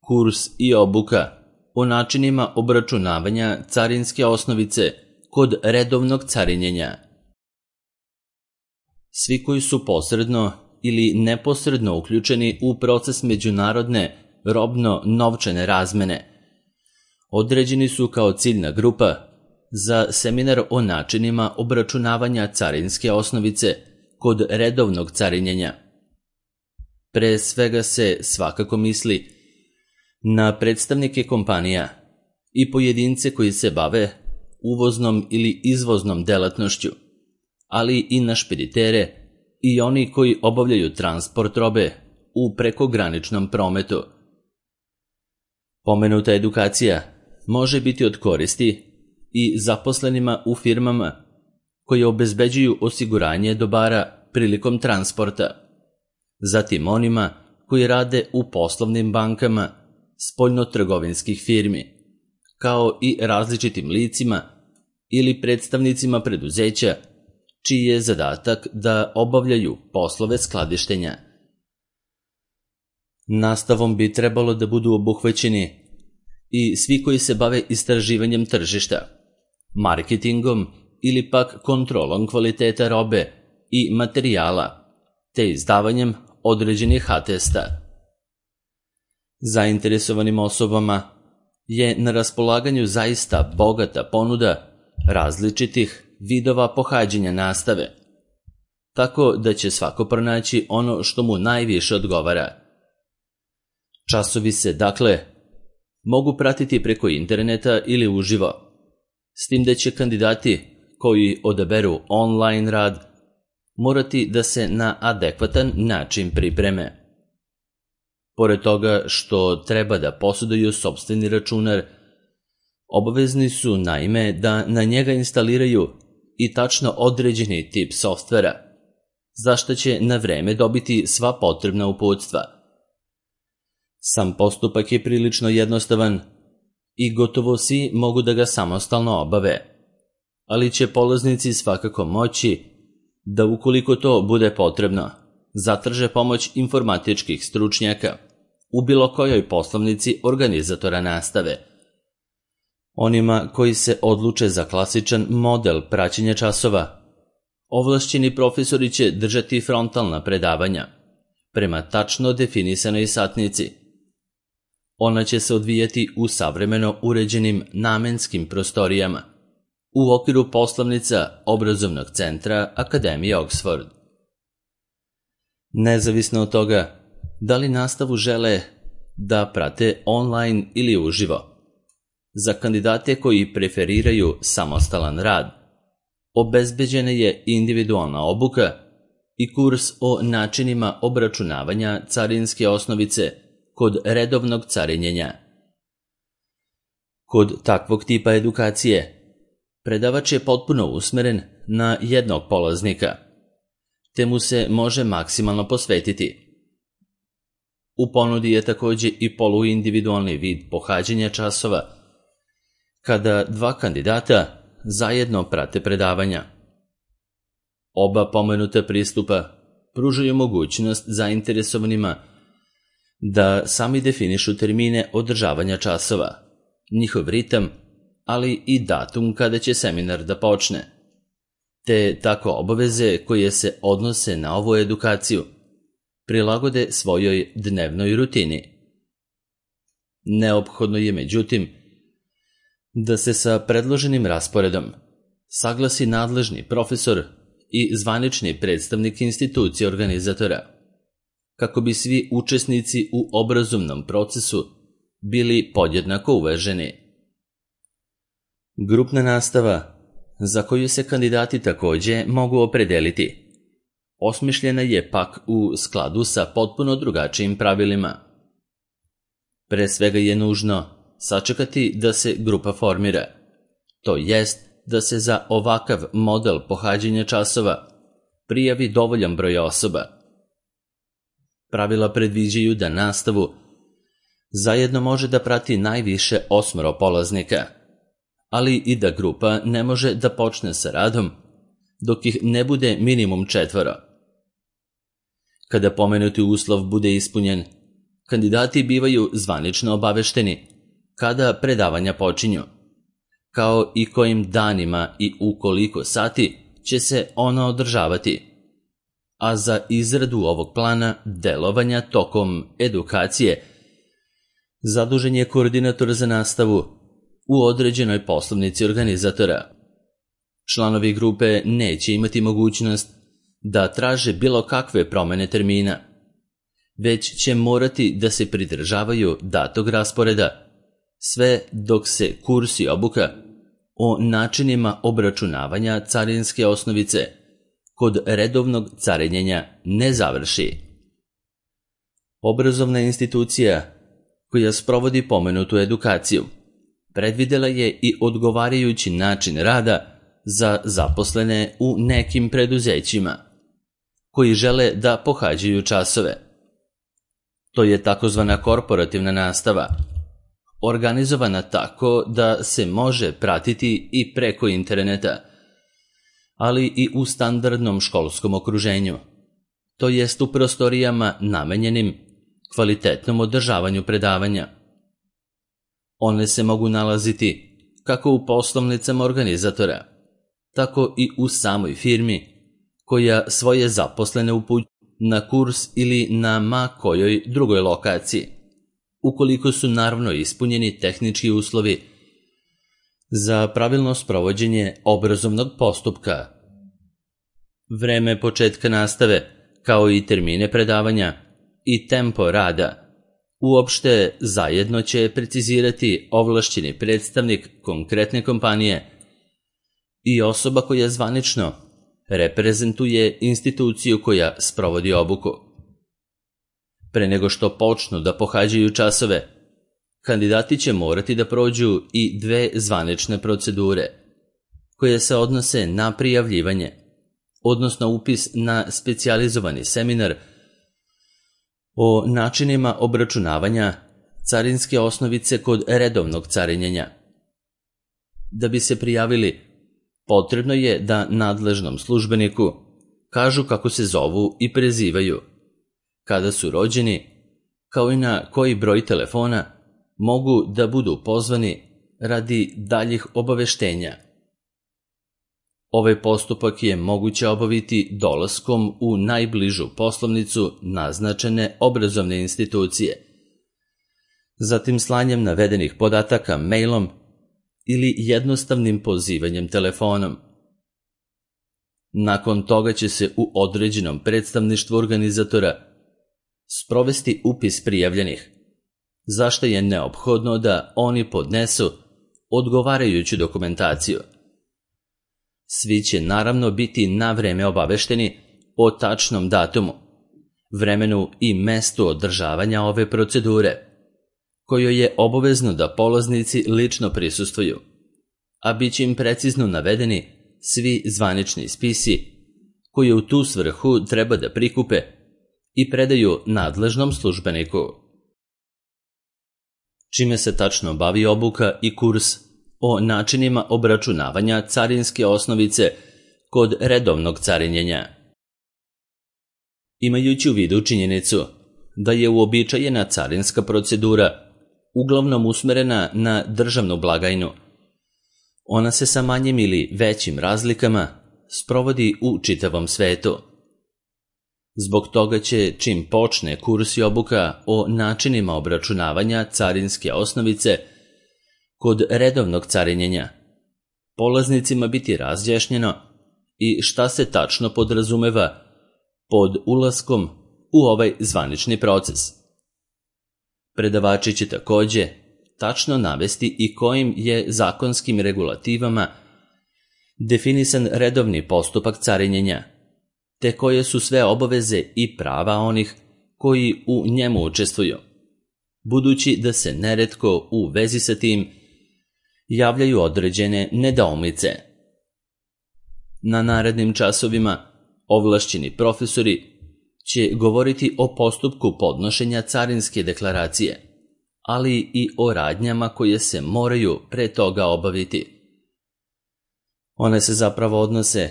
Kurs i obuka o načinima obračunavanja carinske osnovice kod redovnog carinjenja. Svi koji su posredno ili neposredno uključeni u proces međunarodne robno-novčane razmene određeni su kao ciljna grupa za seminar o načinima obračunavanja carinske osnovice kod redovnog carinjenja. Pre svega se svakako misli na predstavnike kompanija i pojedince koji se bave uvoznom ili izvoznom delatnošću, ali i na špeditere i oni koji obavljaju transport robe u prekograničnom prometu. Pomenuta edukacija može biti od koristi i zaposlenima u firmama koje obezbeđuju osiguranje dobara prilikom transporta, zatim onima koji rade u poslovnim bankama spoljnotrgovinskih firmi, kao i različitim licima ili predstavnicima preduzeća čiji je zadatak da obavljaju poslove skladištenja. Nastavom bi trebalo da budu obuhvaćeni i svi koji se bave istraživanjem tržišta, marketingom ili pak kontrolom kvaliteta robe i materijala, te izdavanjem određenih atesta. Zainteresovanim osobama je na raspolaganju zaista bogata ponuda različitih vidova pohađanja nastave, tako da će svako pronaći ono što mu najviše odgovara. Časovi se, dakle, mogu pratiti preko interneta ili uživo, s tim da će kandidati koji odaberu online rad morati da se na adekvatan način pripreme. Pored toga što treba da posjeduju sopstveni računar, obavezni su naime da na njega instaliraju i tačno određeni tip softvera, za što će na vreme dobiti sva potrebna uputstva. Sam postupak je prilično jednostavan i gotovo svi mogu da ga samostalno obave, ali će polaznici svakako moći da, ukoliko to bude potrebno, zatraže pomoć informatičkih stručnjaka u bilo kojoj poslovnici organizatora nastave. Onima koji se odluče za klasičan model praćenja časova, ovlašćeni profesori će držati frontalna predavanja prema tačno definisanoj satnici. Ona će se odvijati u savremeno uređenim namenskim prostorijama u okviru poslovnica obrazovnog centra Akademije Oxford. Nezavisno od toga da li nastavu žele da prate online ili uživo, za kandidate koji preferiraju samostalan rad obezbeđena je individualna obuka i kurs o načinima obračunavanja carinske osnovice kod redovnog carinjenja. Kod takvog tipa edukacije predavač je potpuno usmeren na jednog polaznika, te mu se može maksimalno posvetiti. U ponudi je također i poluindividualni vid pohađanja časova, kada dva kandidata zajedno prate predavanja. Oba pomenuta pristupa pružaju mogućnost zainteresovanima da sami definišu termine održavanja časova, njihov ritam, ali i datum kada će seminar da počne, te tako obaveze koje se odnose na ovu edukaciju prilagode svojoj dnevnoj rutini. Neophodno je, međutim, da se sa predloženim rasporedom saglasi nadležni profesor i zvanični predstavnik institucije organizatora, kako bi svi učesnici u obrazovnom procesu bili podjednako uvaženi. Grupna nastava, za koju se kandidati također mogu opredeliti, osmišljena je pak u skladu sa potpuno drugačijim pravilima. Pre svega je nužno sačekati da se grupa formira, to jest da se za ovakav model pohađanja časova prijavi dovoljan broj osoba. Pravila predviđaju da nastavu zajedno može da prati najviše 8 polaznika, ali i da grupa ne može da počne sa radom dok ih ne bude minimum 4. Kada pomenuti uslov bude ispunjen, Kandidati bivaju zvanično obavešteni kada predavanja počinju, kao i kojim danima i u koliko sati će se ona održavati, a za izradu ovog plana delovanja tokom edukacije zadužen je koordinator za nastavu u određenoj poslovnici organizatora. Članovi grupe neće imati mogućnost da traže bilo kakve promene termina, već će morati da se pridržavaju datog rasporeda, sve dok se kurs i obuka o načinima obračunavanja carinske osnovice kod redovnog carinjenja ne završi. Obrazovna institucija koja sprovodi pomenutu edukaciju predvidela je i odgovarajući način rada za zaposlene u nekim preduzećima koji žele da pohađaju časove. To je takozvana korporativna nastava, organizovana tako da se može pratiti i preko interneta, ali i u standardnom školskom okruženju, to jest u prostorijama namenjenim kvalitetnom održavanju predavanja. One se mogu nalaziti kako u poslovnicama organizatora, tako i u samoj firmi koja svoje zaposlene upućuje na kurs ili na ma kojoj drugoj lokaciji, ukoliko su naravno ispunjeni tehnički uslovi za pravilno sprovođenje obrazovnog postupka. Vreme početka nastave, kao i termine predavanja i tempo rada, uopšte zajedno će precizirati ovlašćeni predstavnik konkretne kompanije i osoba koja zvanično reprezentuje instituciju koja sprovodi obuku. Pre nego što počnu da pohađaju časove, kandidati će morati da prođu i 2 zvanične procedure, koje se odnose na prijavljivanje, odnosno upis na specijalizovani seminar o načinima obračunavanja carinske osnovice kod redovnog carinjenja. Da bi se prijavili, potrebno je da nadležnom službeniku kažu kako se zovu i prezivaju, kada su rođeni, kao i na koji broj telefona mogu da budu pozvani radi daljih obaveštenja. Ovaj postupak je moguće obaviti dolaskom u najbližu poslovnicu naznačene obrazovne institucije, zatim slanjem navedenih podataka mailom ili jednostavnim pozivanjem telefonom. Nakon toga će se u određenom predstavništvu organizatora sprovesti upis prijavljenih, za što je neophodno da oni podnesu odgovarajuću dokumentaciju. Svi će naravno biti na vreme obavešteni o tačnom datumu, vremenu i mestu održavanja ove procedure, kojoj je obavezno da polaznici lično prisustvuju, a bit će im precizno navedeni svi zvanični spisi koji u tu svrhu treba da prikupe i predaju nadležnom službeniku. Čime se tačno bavi obuka i kurs o načinima obračunavanja carinske osnovice kod redovnog carinjenja? Imajući u vidu činjenicu da je uobičajena carinska procedura uglavnom usmerena na državnu blagajnu, ona se sa manjim ili većim razlikama sprovodi u čitavom svetu. Zbog toga će, čim počne kurs i obuka o načinima obračunavanja carinske osnovice kod redovnog carinjenja, polaznicima biti razjašnjeno i šta se tačno podrazumeva pod ulaskom u ovaj zvanični proces. Predavači će takođe tačno navesti i kojim je zakonskim regulativama definisan redovni postupak carinjenja, te koje su sve obaveze i prava onih koji u njemu učestvuju, budući da se neretko u vezi sa tim javljaju određene nedoumice. Na narednim časovima ovlašćeni profesori će govoriti o postupku podnošenja carinske deklaracije, ali i o radnjama koje se moraju pre toga obaviti. One se zapravo odnose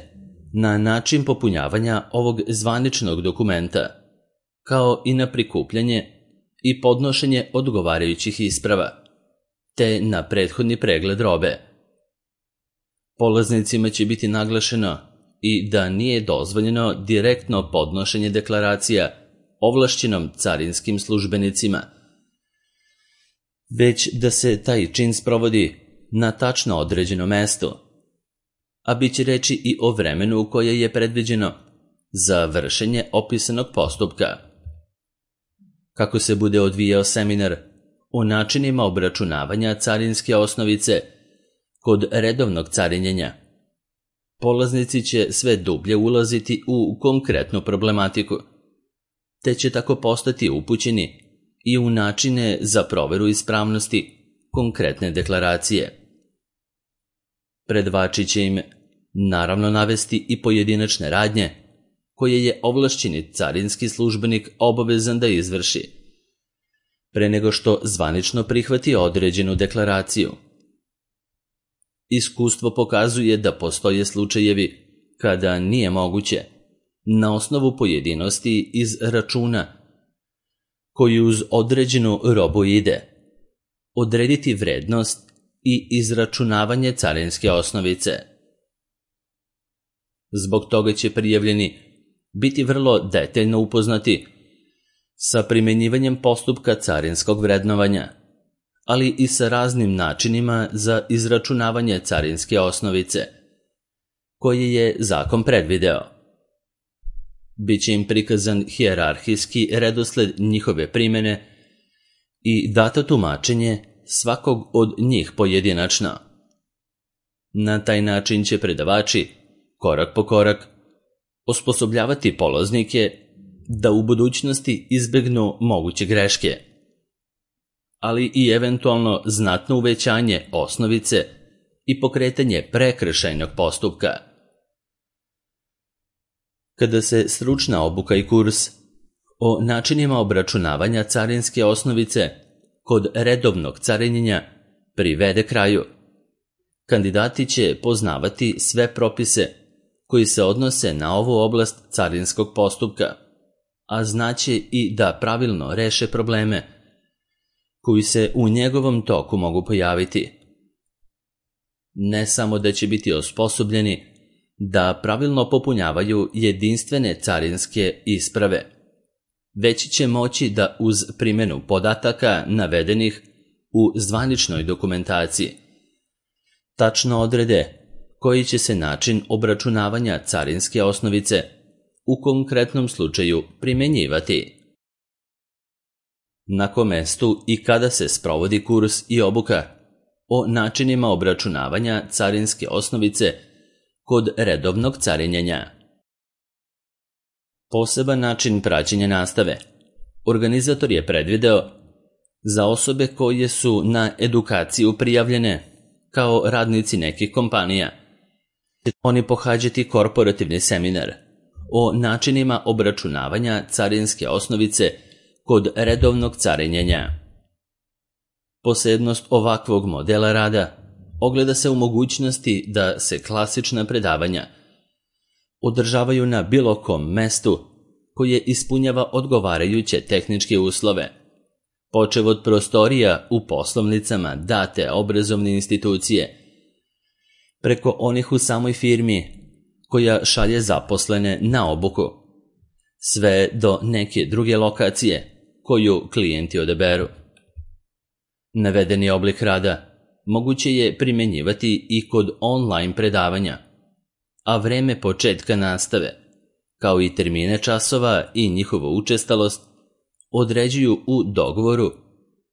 na način popunjavanja ovog zvaničnog dokumenta, kao i na prikupljanje i podnošenje odgovarajućih isprava, te na prethodni pregled robe. Polaznicima će biti naglašeno i da nije dozvoljeno direktno podnošenje deklaracija ovlašćenom carinskim službenicima, već da se taj čin sprovodi na tačno određenom mestu, a bit će reći i o vremenu koje je predviđeno za vršenje opisanog postupka. Kako se bude odvijao seminar o načinima obračunavanja carinske osnovice kod redovnog carinjenja, polaznici će sve dublje ulaziti u konkretnu problematiku, te će tako postati upućeni i u načine za proveru ispravnosti konkretne deklaracije. Predavači će im naravno navesti i pojedinačne radnje koje je ovlašćeni carinski službenik obavezan da izvrši pre nego što zvanično prihvati određenu deklaraciju. Iskustvo pokazuje da postoje slučajevi kada nije moguće, na osnovu pojedinosti iz računa koji uz određenu robu ide, odrediti vrednost i izračunavanje carinske osnovice. Zbog toga će prijavljeni biti vrlo detaljno upoznati sa primenjivanjem postupka carinskog vrednovanja, ali i sa raznim načinima za izračunavanje carinske osnovice, koje je zakon predvideo. Biće im prikazan hijerarhijski redosled njihove primene i dato tumačenje svakog od njih pojedinačno. Na taj način će predavači, korak po korak, osposobljavati polaznike da u budućnosti izbegnu moguće greške, ali i eventualno znatno uvećanje osnovice i pokretanje prekršajnog postupka. Kada se stručna obuka i kurs o načinima obračunavanja carinske osnovice kod redovnog carinjenja privede kraju, kandidati će poznavati sve propise koji se odnose na ovu oblast carinskog postupka, a znaće i da pravilno reše probleme koji se u njegovom toku mogu pojaviti. Ne samo da će biti osposobljeni da pravilno popunjavaju jedinstvene carinske isprave, već će moći da uz primjenu podataka navedenih u zvaničnoj dokumentaciji tačno odrede koji će se način obračunavanja carinske osnovice u konkretnom slučaju primjenjivati. Na kom mestu i kada se sprovodi kurs i obuka o načinima obračunavanja carinske osnovice kod redovnog carinjenja. Poseban način praćenja nastave organizator je predvideo za osobe koje su na edukaciju prijavljene kao radnici nekih kompanija. Oni pohađati korporativni seminar o načinima obračunavanja carinske osnovice kod redovnog carinjenja. Posebnost ovakvog modela rada ogleda se u mogućnosti da se klasična predavanja održavaju na bilo kom mestu koje ispunjava odgovarajuće tehničke uslove, počev od prostorija u poslovnicama date obrazovne institucije, preko onih u samoj firmi koja šalje zaposlene na obuku, sve do neke druge lokacije koju klijenti odaberu. Navedeni oblik rada moguće je primjenjivati i kod online predavanja, a vreme početka nastave, kao i termine časova i njihovu učestalost, određuju u dogovoru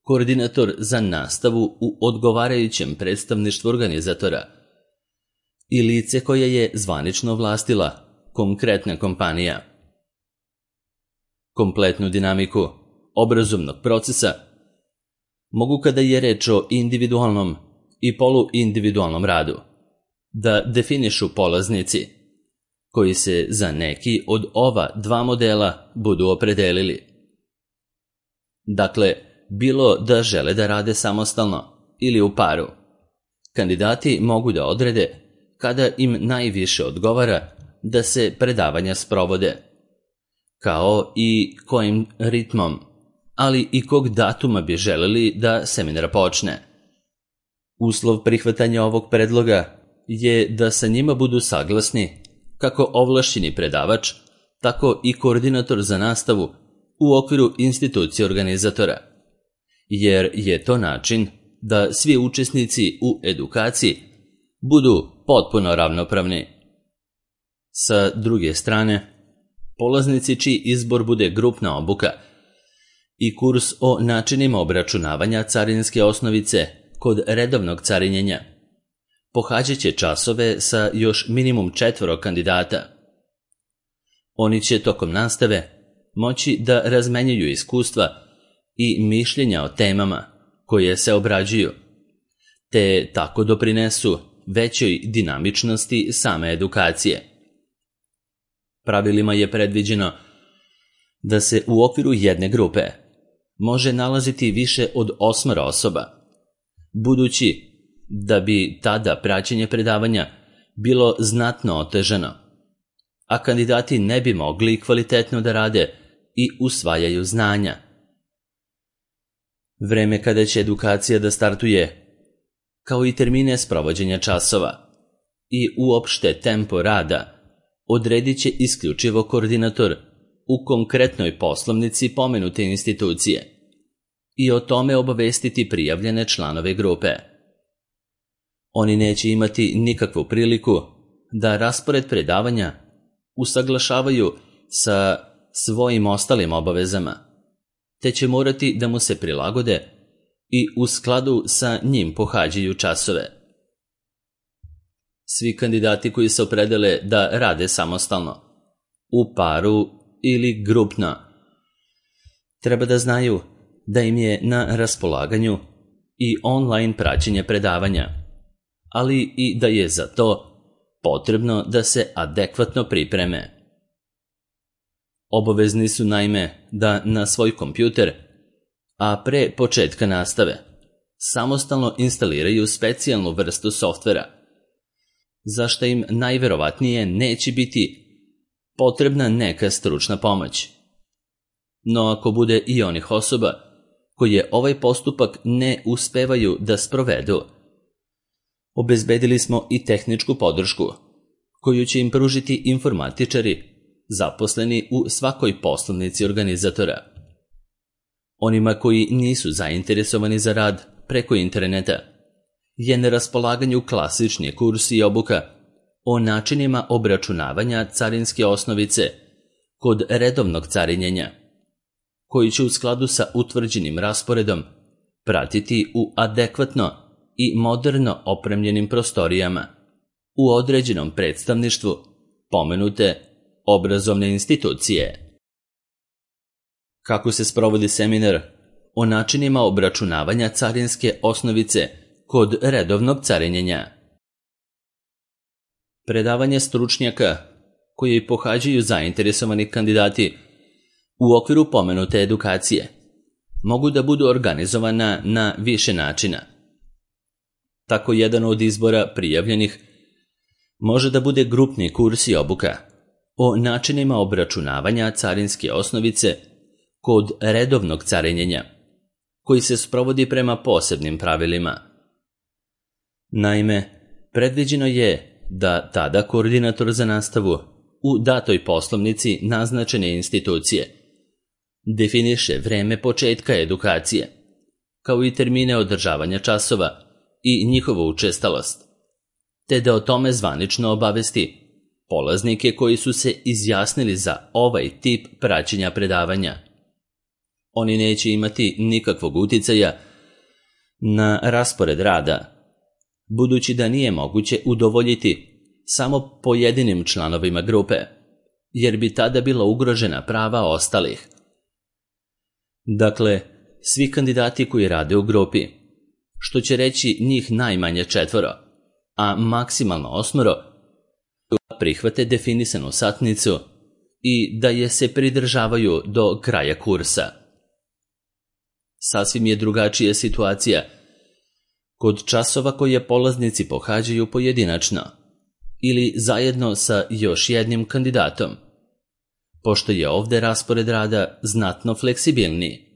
koordinator za nastavu u odgovarajućem predstavništvu organizatora i lice koje je zvanično vlastila konkretna kompanija. Kompletnu dinamiku obrazovnog procesa mogu, kada je reč o individualnom i poluindividualnom radu, da definišu polaznici koji se za neki od ova dva modela budu opredelili. Dakle, bilo da žele da rade samostalno ili u paru, kandidati mogu da odrede kada im najviše odgovara da se predavanja sprovode, kao i kojim ritmom, ali i kog datuma bi želeli da seminar počne. Uslov prihvatanja ovog predloga je da sa njima budu saglasni kako ovlašćeni predavač, tako i koordinator za nastavu u okviru institucije organizatora, jer je to način da svi učesnici u edukaciji budu potpuno ravnopravni. Sa druge strane, polaznici čiji izbor bude grupna obuka i kurs o načinima obračunavanja carinske osnovice kod redovnog carinjenja pohađat će časove sa još minimum 4 kandidata. Oni će tokom nastave moći da razmenjuju iskustva i mišljenja o temama koje se obrađuju, te tako doprinesu većoj dinamičnosti same edukacije. Pravilima je predviđeno da se u okviru jedne grupe može nalaziti više od 8 osoba, budući da bi tada praćenje predavanja bilo znatno otežano, a kandidati ne bi mogli kvalitetno da rade i usvajaju znanja. Vreme kada će edukacija da startuje, kao i termine sprovođenja časova i uopšte tempo rada, odredit će isključivo koordinator u konkretnoj poslovnici pomenute institucije i o tome obavestiti prijavljene članove grupe. Oni neće imati nikakvu priliku da raspored predavanja usaglašavaju sa svojim ostalim obavezama, te će morati da mu se prilagode i u skladu sa njim pohađaju časove. Svi kandidati koji se opredele da rade samostalno, u paru ili grupno, treba da znaju da im je na raspolaganju i online praćenje predavanja, ali i da je za to potrebno da se adekvatno pripreme. Obavezni su naime da na svoj kompjuter, a pre početka nastave, samostalno instaliraju specijalnu vrstu softvera, za što im najverovatnije neće biti potrebna neka stručna pomoć. No ako bude i onih osoba koje ovaj postupak ne uspevaju da sprovedu, obezbedili smo i tehničku podršku, koju će im pružiti informatičari zaposleni u svakoj poslovnici organizatora. Onima koji nisu zainteresovani za rad preko interneta je na raspolaganju klasični kurs i obuka o načinima obračunavanja carinske osnovice kod redovnog carinjenja, koji će u skladu sa utvrđenim rasporedom pratiti u adekvatno i moderno opremljenim prostorijama u određenom predstavništvu pomenute obrazovne institucije. Kako se sprovodi seminar o načinima obračunavanja carinske osnovice kod redovnog carinjenja? Predavanje stručnjaka koje pohađaju zainteresovani kandidati u okviru pomenute edukacije mogu da budu organizovana na više načina. Tako jedan od izbora prijavljenih može da bude grupni kurs i obuka o načinima obračunavanja carinske osnovice kod redovnog carinjenja, koji se sprovodi prema posebnim pravilima. Naime, predviđeno je da tada koordinator za nastavu u datoj poslovnici naznačene institucije definiše vreme početka edukacije, kao i termine održavanja časova i njihovu učestalost, te da o tome zvanično obavesti polaznike koji su se izjasnili za ovaj tip praćenja predavanja. Oni neće imati nikakvog uticaja na raspored rada, budući da nije moguće udovoljiti samo pojedinim članovima grupe, jer bi tada bila ugrožena prava ostalih. Dakle, svi kandidati koji rade u grupi, što će reći njih najmanje 4, a maksimalno 8, prihvate definisanu satnicu i da je se pridržavaju do kraja kursa. Sasvim je drugačija situacija kod časova koje polaznici pohađaju pojedinačno ili zajedno sa još jednim kandidatom, pošto je ovde raspored rada znatno fleksibilniji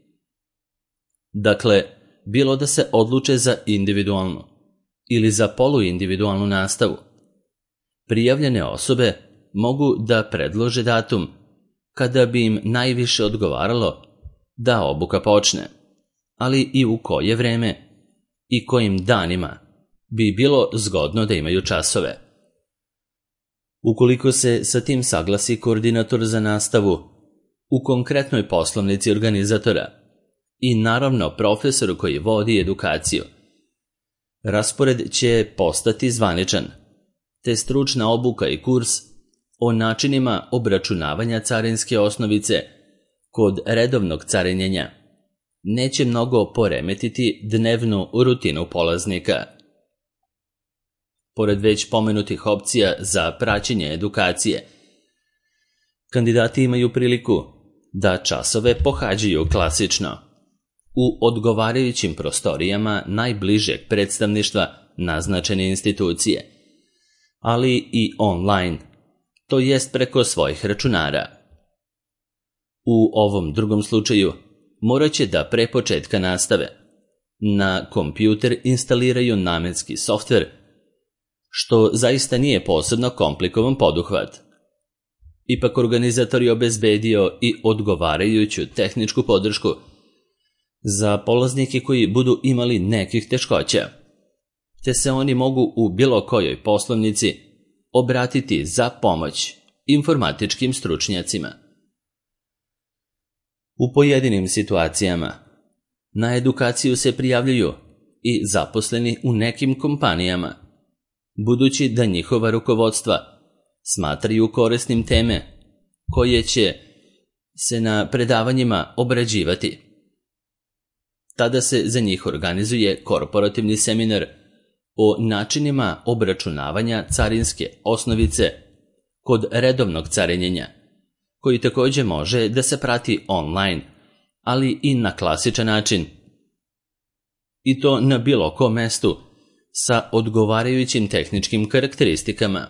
Dakle, bilo da se odluče za individualnu ili za poluindividualnu nastavu, prijavljene osobe mogu da predlože datum kada bi im najviše odgovaralo da obuka počne, ali i u koje vreme i kojim danima bi bilo zgodno da imaju časove. Ukoliko se sa tim saglasi koordinator za nastavu u konkretnoj poslovnici organizatora i naravno profesor koji vodi edukaciju, raspored će postati zvaničan, te stručna obuka i kurs o načinima obračunavanja carinske osnovice kod redovnog carinjenja neće mnogo poremetiti dnevnu rutinu polaznika. Pored već pomenutih opcija za praćenje edukacije, kandidati imaju priliku da časove pohađaju klasično u odgovarajućim prostorijama najbližeg predstavništva naznačene institucije, ali i online, to jest preko svojih računara. U ovom drugom slučaju morat će da pre početka nastave na kompjuter instaliraju namenski softver, što zaista nije posebno komplikovan poduhvat. Ipak organizator je obezbedio i odgovarajuću tehničku podršku za polaznike koji budu imali nekih teškoća, te se oni mogu u bilo kojoj poslovnici obratiti za pomoć informatičkim stručnjacima. U pojedinim situacijama na edukaciju se prijavljuju i zaposleni u nekim kompanijama, budući da njihova rukovodstva smatraju korisnim teme koje će se na predavanjima obrađivati. Tada se za njih organizuje korporativni seminar o načinima obračunavanja carinske osnovice kod redovnog carinjenja, koji također može da se prati online, ali i na klasičan način. I to na bilo kom mestu sa odgovarajućim tehničkim karakteristikama.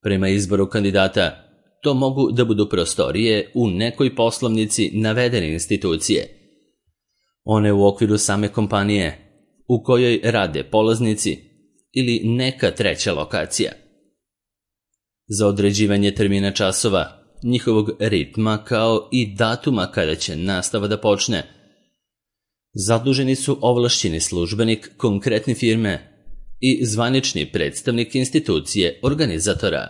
Prema izboru kandidata, to mogu da budu prostorije u nekoj poslovnici navedene institucije, one u okviru same kompanije u kojoj rade polaznici ili neka treća lokacija. Za određivanje termina časova, njihovog ritma kao i datuma kada će nastava da počne, zaduženi su ovlašćeni službenik konkretne firme i zvanični predstavnik institucije organizatora.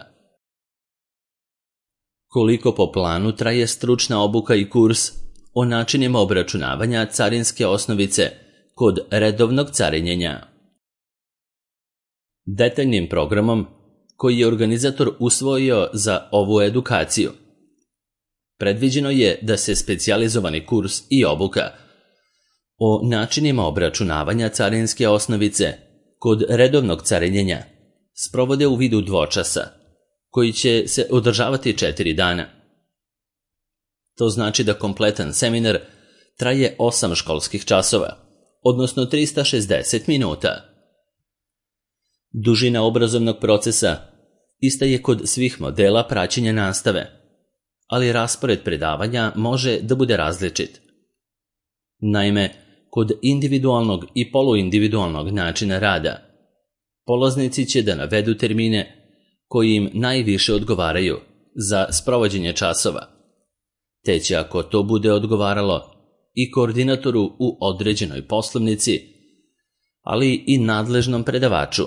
Koliko po planu traje stručna obuka i kurs o načinima obračunavanja carinske osnovice kod redovnog carinjenja? Detaljnim programom koji je organizator usvojio za ovu edukaciju, predviđeno je da se specijalizovani kurs i obuka o načinima obračunavanja carinske osnovice kod redovnog carinjenja sprovode u vidu dvočasa, koji će se održavati 4 dana. To znači da kompletan seminar traje 8 školskih časova, odnosno 360 minuta. Dužina obrazovnog procesa ista je kod svih modela praćenja nastave, ali raspored predavanja može da bude različit. Naime, kod individualnog i poluindividualnog načina rada, polaznici će da navedu termine koji im najviše odgovaraju za sprovođenje časova, te će, ako to bude odgovaralo, i koordinatoru u određenoj poslovnici, ali i nadležnom predavaču,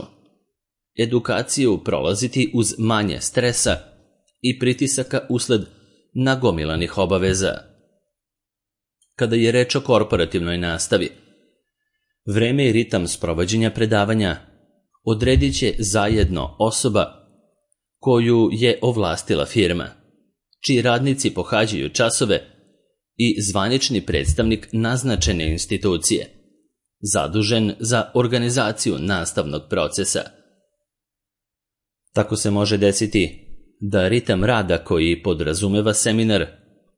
edukaciju prolaziti uz manje stresa i pritisaka usled nagomilanih obaveza. Kada je reč o korporativnoj nastavi, vreme i ritam sprovođenja predavanja odredit će zajedno osoba koju je ovlastila firma, čiji radnici pohađaju časove, i zvanični predstavnik naznačene institucije, zadužen za organizaciju nastavnog procesa. Tako se može desiti da ritam rada koji podrazumeva seminar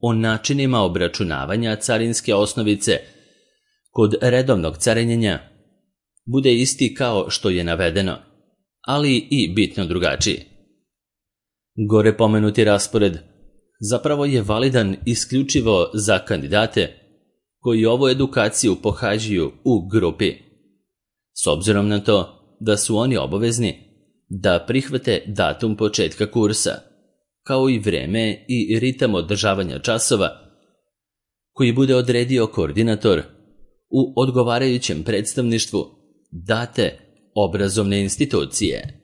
o načinima obračunavanja carinske osnovice kod redovnog carinjenja bude isti kao što je navedeno, ali i bitno drugačiji. Gore pomenuti raspored zapravo je validan isključivo za kandidate koji ovu edukaciju pohađaju u grupi, s obzirom na to da su oni obavezni da prihvate datum početka kursa, kao i vreme i ritam održavanja časova koji bude odredio koordinator u odgovarajućem predstavništvu date obrazovne institucije.